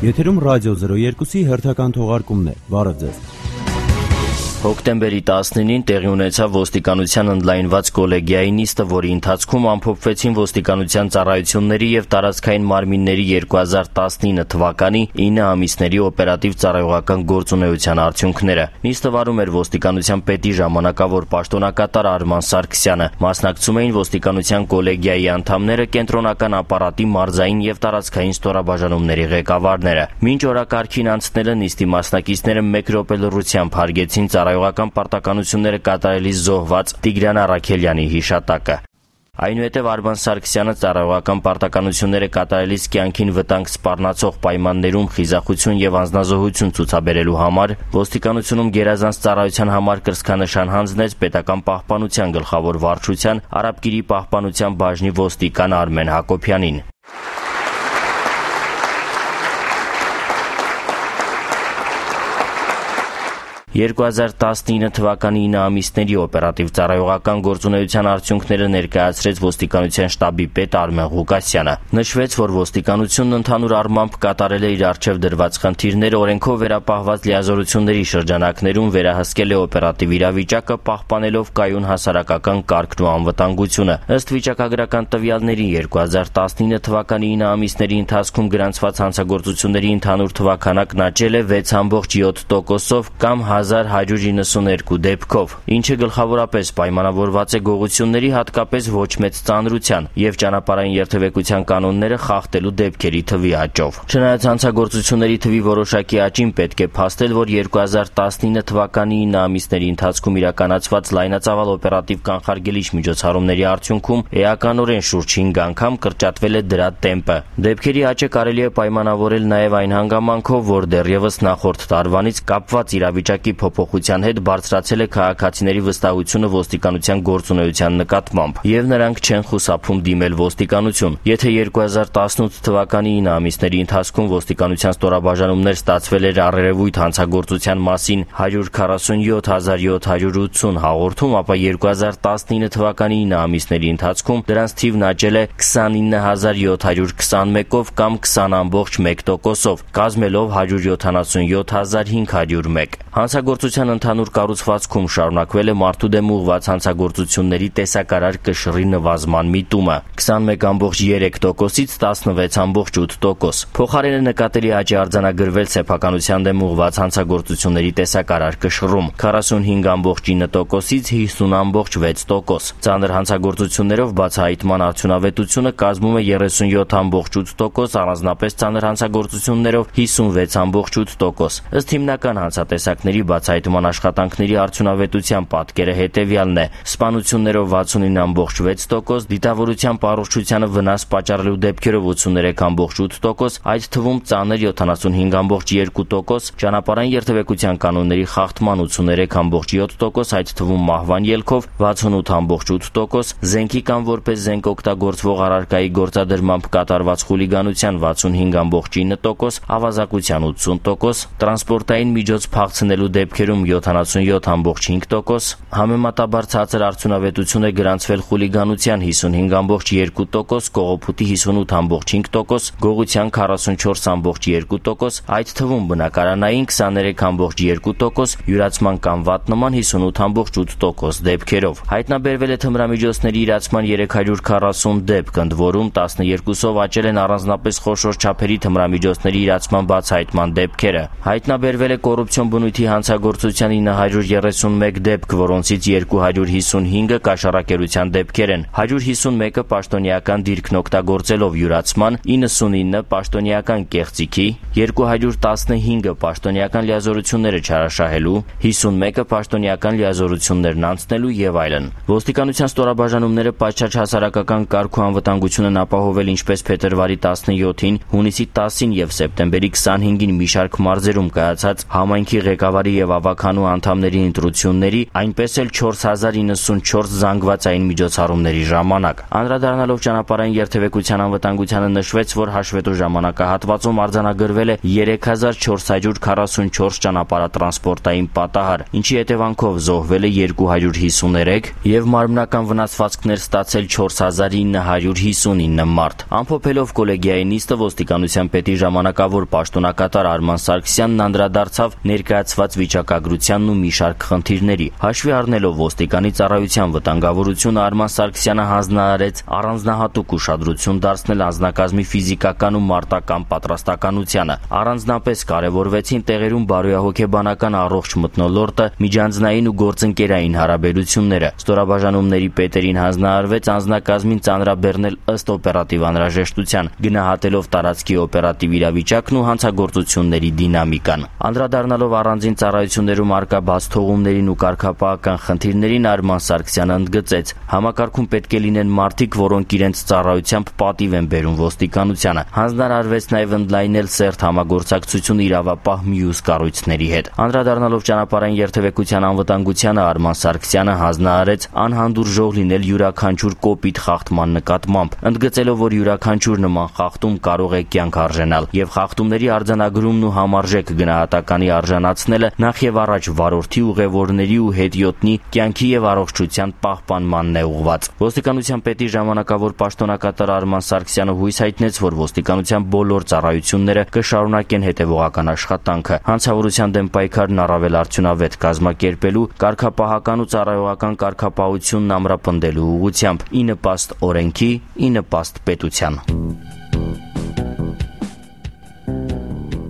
Եթերում ռադիո 02-ի հերթական թողարկումն է։ Բարև ձեզ։ Հոկտեմբերի 19-ին տեղի ունեցավ ոստիկանության ընդլայնված կոլեգիայի նիստը, որի ընթացքում ամփոփվեցին ոստիկանության ծառայությունների և տարածքային մարմինների 2019 թվականի 9 ամիսների օպերատիվ ծառայողական գործունեության արդյունքները։ Նիստը վարում էր ոստիկանության պետի ժամանակավոր պաշտոնակատար Արման Սարգսյանը։ Մասնակցում էին ոստիկանության կոլեգիայի անդամները, կենտրոնական ապարատի մարզային և տարածքային ստորաբաժանումների ղեկավարները։ Մինչ օրակարգին անցնելը նիստի մասնակիցները մեկ րոպե լռությամբ հարգեցին ծառայողական պարտականությունները կատարելիս զոհված Տիգրան Առաքելյանի հիշատակը։ Այնուհետև Արման Սարգսյանը ծառայողական պարտականությունները կատարելիս կյանքին վտանգ սպառնացող պայմաններում խիզախություն և անձնազոհություն ցուցաբերելու համար ոստիկանությունում գերազանց ծառայության համար կրծքանշան հանձնեց պետական պահպանության գլխավոր վարչության Արաբկիրի պահպանության բաժնի ոստիկան Արմեն Հակոբյանին։ 2019 թվականի 9 ամիսների օպերատիվ ծառայողական գործունեության արդյունքները ներկայացրեց ոստիկանության շտաբի պետ Արմեն Ղուկասյանը։ Նշվեց, որ ոստիկանությունն ընդհանուր առմամբ կատարել է իր առջև դրված խնդիրները, օրենքով վերապահված լիազորությունների շրջանակներում վերահսկել է օպերատիվ իրավիճակը, պահպանելով կայուն հասարակական կարգն ու անվտանգությունը։ Ըստ վիճակագրական տվյալների 2019 թվականի 9 ամիսների ընթացքում գրանցված հանցագործությունների ընդհանուր թվաքանակն աճել է 6.7%-ով կամ 1192 դեպքով, ինչը գլխավորապես պայմանավորված է գողությունների, հատկապես ոչ մեծ ծանրության և ճանապարհային երթևեկության կանոնները խախտելու դեպքերի թվի աճով։ Չնայած հանցագործությունների թվի որոշակի աճին, պետք է փաստել, որ 2019 թվականի 9 ամիսների ընթացքում իրականացված լայնածավալ օպերատիվ կանխարգելիչ միջոցառումների արդյունքում էականորեն շուրջ 5 անգամ կրճատվել է դրա տեմպը։ Դեպքերի աճը կարելի է պայմանավորել նաև այն հանգամանքով, որ դեռևս նախորդ տարվանից կապված իրավիճակի փոփոխության հետ բարձրացել է քաղաքացիների վստահությունը ոստիկանության գործունեության նկատմամբ, և նրանք չեն խուսափում դիմել ոստիկանություն։ Եթե 2018 թվականի 9 ամիսների ընթացքում ոստիկանության ստորաբաժանումներ ստացվել էր առերևույթ հանցագործության մասին 147,780 հաղորդում, ապա 2019 թվականի 9 ամիսների ընթացքում դրանց թիվն աճել է 29,721-ով կամ 20.1%-ով, կազմելով 177,501։ Հանցագործության ընդհանուր կառուցվածքում շարունակվել է մարդու դեմ ուղղված հանցագործությունների տեսակարար կշռի նվազման միտումը 21.3%-ից 16.8%։ Փոխարենը նկատելի աճ է արձանագրվել սեփականության դեմ ուղղված հանցագործությունների տեսակարար կշռում 45.9%-ից 50.6%։ Ծանր հանցագործություններով բացահայտման արդյունավետությունը կազմում է 37.8%, առանձնապես ծանր հանցագործություններով 56.8%։ Ըստ հիմնական հանցատեսակների բացահայտման աշխատանքների արդյունավետության պատկերը հետևյալն է. սպանություններով 69.6%, դիտավորության առողջությանը վնաս պատճառելու դեպքերով 83.8%, այդ թվում ծանր 75.2%, ճանապարհային երթևեկության կանոնների խախտման 83.7%, այդ թվում մահվան ելքով 68.8%, զենքի կամ որպես զենք օգտագործվող առարկայի գործադրմամբ կատարված խուլիգանության 65.9%, ավազակության 80%, տրանսպորտային միջոց փախցնելու դեպքերում 77.5%, համեմատաբար ցածր արդյունավետություն է գրանցվել խուլիգանության 55.2%, կողոպուտի 58.5%, գողության 44.2%, այդ թվում բնակարանային 23.2%, յուրացման կամ վատնման 58.8% դեպքերով։ Հայտնաբերվել է թմրամիջոցների իրացման 340 դեպք, ընդ որում 12-ով աճել են առանձնապես խոշոր չափերի թմրամիջոցների իրացման բացահայտման դեպքերը։ Հայտնաբերվել է կոռուպցիոն բնույթի հանցագործության 931 դեպք, որոնցից 255-ը կաշառակերության դեպքեր են, 151-ը պաշտոնեական դիրքն օգտագործելով յուրացման, 99-ը պաշտոնեական կեղծիքի, 215-ը պաշտոնեական լիազորությունները չարաշահելու, 51-ը պաշտոնեական լիազորություններն անցնելու և այլն։ Ոստիկանության ստորաբաժանումները պատշաճ հասարակական կարգ ու անվտանգություն են ապահովել ինչպես փետրվարի 17-ին, հունիսի 10-ին և սեպտեմբերի 25-ին մի շարք մարզերում կայացած համայնքի ղեկավարի եւ ավականու անդամների ընտրությունների, այնպես էլ 4094 զանգվածային միջոցառումների ժամանակ։ Անդրադառնալով ճանապարհային երթևեկության անվտանգությանը նշվեց, որ հաշվետու ժամանակահատվածում արձանագրվել է 3444 ճանապարհատրանսպորտային պատահար, ինչի հետևանքով զոհվել է 253 եւ մարմնական վնասվածքներ ստացել 4959 մարդ։ Ամփոփելով կոլեգիայի նիստը, ոստիկանության պետի ժամանակավոր պաշտոնակատար Արման Սարգսյանն անդրադարձավ ներկայացված վիճակագրությանն ու մի շարք խնդիրների։ Հաշվի առնելով ոստիկանի ծառայության վտանգավորությունը, Արման Սարգսյանը հանձնարարեց առանձնահատուկ ուշադրություն դարձնել անձնակազմի ֆիզիկական ու մարտական պատրաստականությանը։ Առանձնապես կարևորվեցին տեղերում բարոյահոգեբանական առողջ մթնոլորտը, միջանձնային ու գործընկերային հարաբերությունները։ Ստորաբաժանումների պետերին հանձնարարվեց անձնակազմին ծանրաբեռնել ըստ օպերատիվ անհրաժեշտության, գնահատելով տարածքի օպերատիվ իրավիճակն ու հանցագործությունների դինամիկան։ Անդրադառնալով առանձին ծառայություններում առկա բացթողումներին ու կարգապահական խնդիրներին, Արման Սարգսյանը ընդգծեց. համակարգում պետք է լինեն մարդիկ, որոնք իրենց ծառայությամբ պատիվ են բերում ոստիկանությանը։ Հանձնարարվեց նաև ընդլայնել սերտ համագործակցություն իրավապահ մյուս կառույցների հետ։ Անդրադառնալով ճանապարհային երթևեկության անվտանգությանը, Արման Սարգսյանը հանձնարարեց անհանդուրժող լինել յուրաքանչյուր կոպիտ խախտման նկատմամբ, ընդգծելով, որ յուրաքանչյուր նման խախտում կարող է կյանք արժենալ, եւ խախտումների արձանագրումն ու համարժեք գնահատականի արժանացնելը նախ եւ առաջ վարորդի, ուղևորների ու հետիոտնի կյանքի եւ առողջության պահպանմանն է ուղղված։ Ոստիկանության պետի ժամանակավոր պաշտոնակատար Արման Սարգսյանը հույս հայտնեց, որ ոստիկանության բոլոր ծառայությունները կշարունակեն հետևողական աշխատանքը, հանցավորության դեմ պայքարն առավել արդյունավետ կազմակերպելու, կարգապահական ու ծառայողական կարգապահությունն ամրապնդելու ուղղությամբ, ի նպաստ օրենքի, ի նպաստ պետության։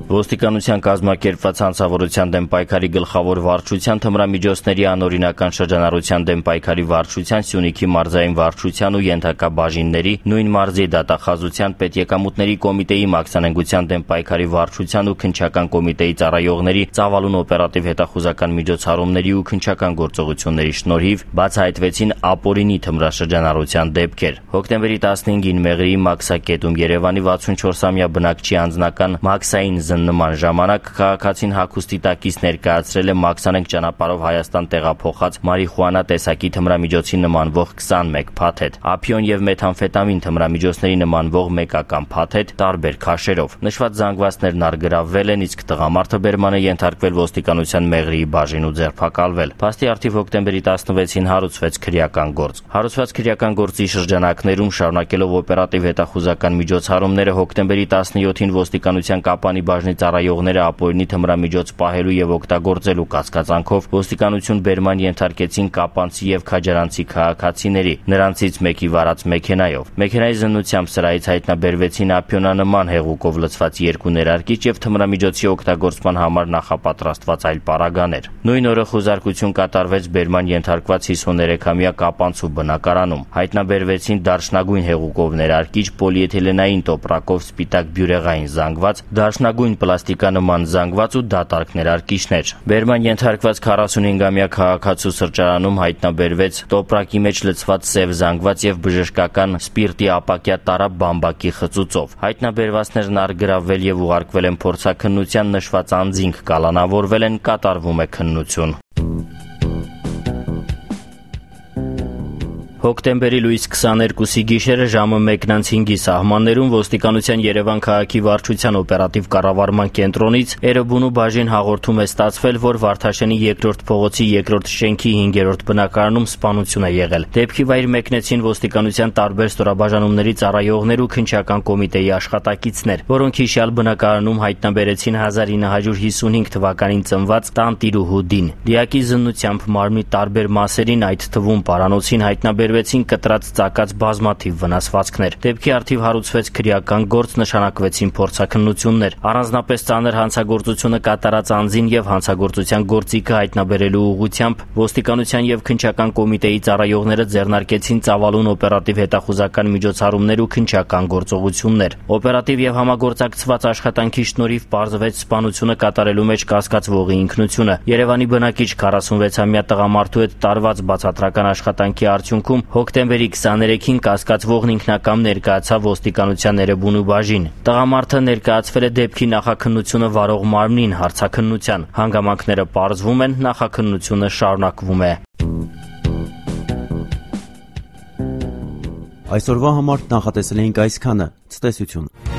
Ոստիկանության կազմակերպված հանցավորության դեմ պայքարի գլխավոր վարչության, թմրամիջոցների անօրինական շրջանառության դեմ պայքարի վարչության, Սյունիքի մարզային վարչության ու ենթակա բաժինների, նույն մարզի դատախազության, պետեկամուտների կոմիտեի մաքսանենգության դեմ պայքարի վարչության ու քննչական կոմիտեի ծառայողների ծավալուն օպերատիվ հետախուզական միջոցառումների ու քննչական գործողությունների շնորհիվ բացահայտվեցին ապօրինի թմրաշրջանառության դեպքեր։ Հոկտեմբերի 15-ին Մեղրիի Մաքսակետում Երևանի 64-ամյա բնակչի անձնական մաքսային նման ժամանակ քաղաքացին հագուստի տակից ներկայացրել է մաքսանենգ ճանապարհով Հայաստան տեղափոխած մարիխուանա տեսակի թմրամիջոցի նմանվող 21 փաթեթ, ափիոն եւ մեթամֆետամին թմրամիջոցների նմանվող մեկական փաթեթ տարբեր քաշերով։ Նշված զանգվածներն արգրավվել են, իսկ տղամարդը բերման է ենթարկվել ոստիկանության Մեղրիի բաժին ու ձերբակալվել։ Փաստի առթիվ հոկտեմբերի 16-ին հարուցվեց քրեական գործ։ Հարուցված քրեական գործի շրջանակներում, շարունակելով օպերատիվ հետախուզական միջոցառումները, հոկտեմբերի 17-ին ոստիկանության Կապանի բաժնի ծառայողները ապօրինի թմրամիջոց պահելու եւ օգտագործելու կասկածանքով ոստիկանություն բերման ենթարկեցին կապանցի եւ քաջարանցի քաղաքացիների, նրանցից մեկի վարած մեքենայով։ Մեքենայի զննությամբ սրահից հայտնաբերվեցին ափիոնանման հեղուկով լցված 2 ներարկիչ եւ թմրամիջոցի օգտագործման համար նախապատրաստված այլ պարագաներ։ Նույն օրը խուզարկություն կատարվեց բերման ենթարկված 53-ամյա կապանցու բնակարանում։ Հայտնաբերվեցին դարչնագույն հեղուկով ներարկիչ, պոլիէթիլենային տոպրակով սպիտակ բյուրեղային զանգված, դարչնագույն պլաստիկանման զանգված ու դատարկ ներարկիչներ։ Բերման ենթարկված 45-ամյա քաղաքացու սրճարանում հայտնաբերվեց տոպրակի մեջ լցված սև զանգված եւ բժշկական սպիրտի ապակյա տարա բամբակի խծուծով։ Հայտնաբերվածներն արգրավվել եւ ուղարկվել են փորձաքննության, նշված անձինք կալանավորվել են, կատարվում է քննություն։ Հոկտեմբերի լույս 22-ի գիշերը ժամը 1:05-ի սահմաններում ոստիկանության Երևան քաղաքի վարչության օպերատիվ կառավարման կենտրոնից Էրեբունու բաժին հաղորդում է ստացվել, որ Վարդաշենի 2-րդ փողոցի 2-րդ շենքի 5-րդ բնակարանում սպանություն է եղել։ Դեպքի վայր մեկնեցին ոստիկանության տարբեր ստորաբաժանումների ծառայողներ ու քննչական կոմիտեի աշխատակիցներ, որոնք հիշյալ բնակարանում հայտնաբերեցին 1955 թվականին ծնված տանտիրուհու Դին։ Դիակի զննությամբ մարմնի տարբեր մասերին, այդ թվում պարանոցին, հայտնաբերվեցին կտրած ծակած բազմաթիվ վնասվածքներ։ Դեպքի առթիվ հարուցվեց քրեական գործ, նշանակվեցին փորձաքննություններ։ Առանձնապես ծանր հանցագործությունը կատարած անձին եւ հանցագործության գործիքը հայտնաբերելու ուղղությամբ ոստիկանության եւ քննչական կոմիտեի ծառայողները ձեռնարկեցին ծավալուն օպերատիվ հետախուզական միջոցառումներ ու քննչական գործողություններ։ Օպերատիվ եւ համագործակցված աշխատանքի շնորհիվ պարզվեց սպանությունը կատարելու մեջ կասկածվողի ինքնությունը։ Երևանի բնակիչ 46-ամյա տղամարդու հետ տարված բացատրական աշխատանքի արդյունքում Հոկտեմբերի 23-ին կասկածվողն ինքնակամ ներկայացավ ոստիկանության Էրեբունու բաժին։ Տղամարդը ներկայացվել է դեպքի նախաքննությունը վարող մարմնին հարցաքննության։ Հանգամանքները պարզվում են, նախաքննությունը շարունակվում է։ Այսօրվա համար նախատեսել էինք այսքանը։ Ցտեսություն։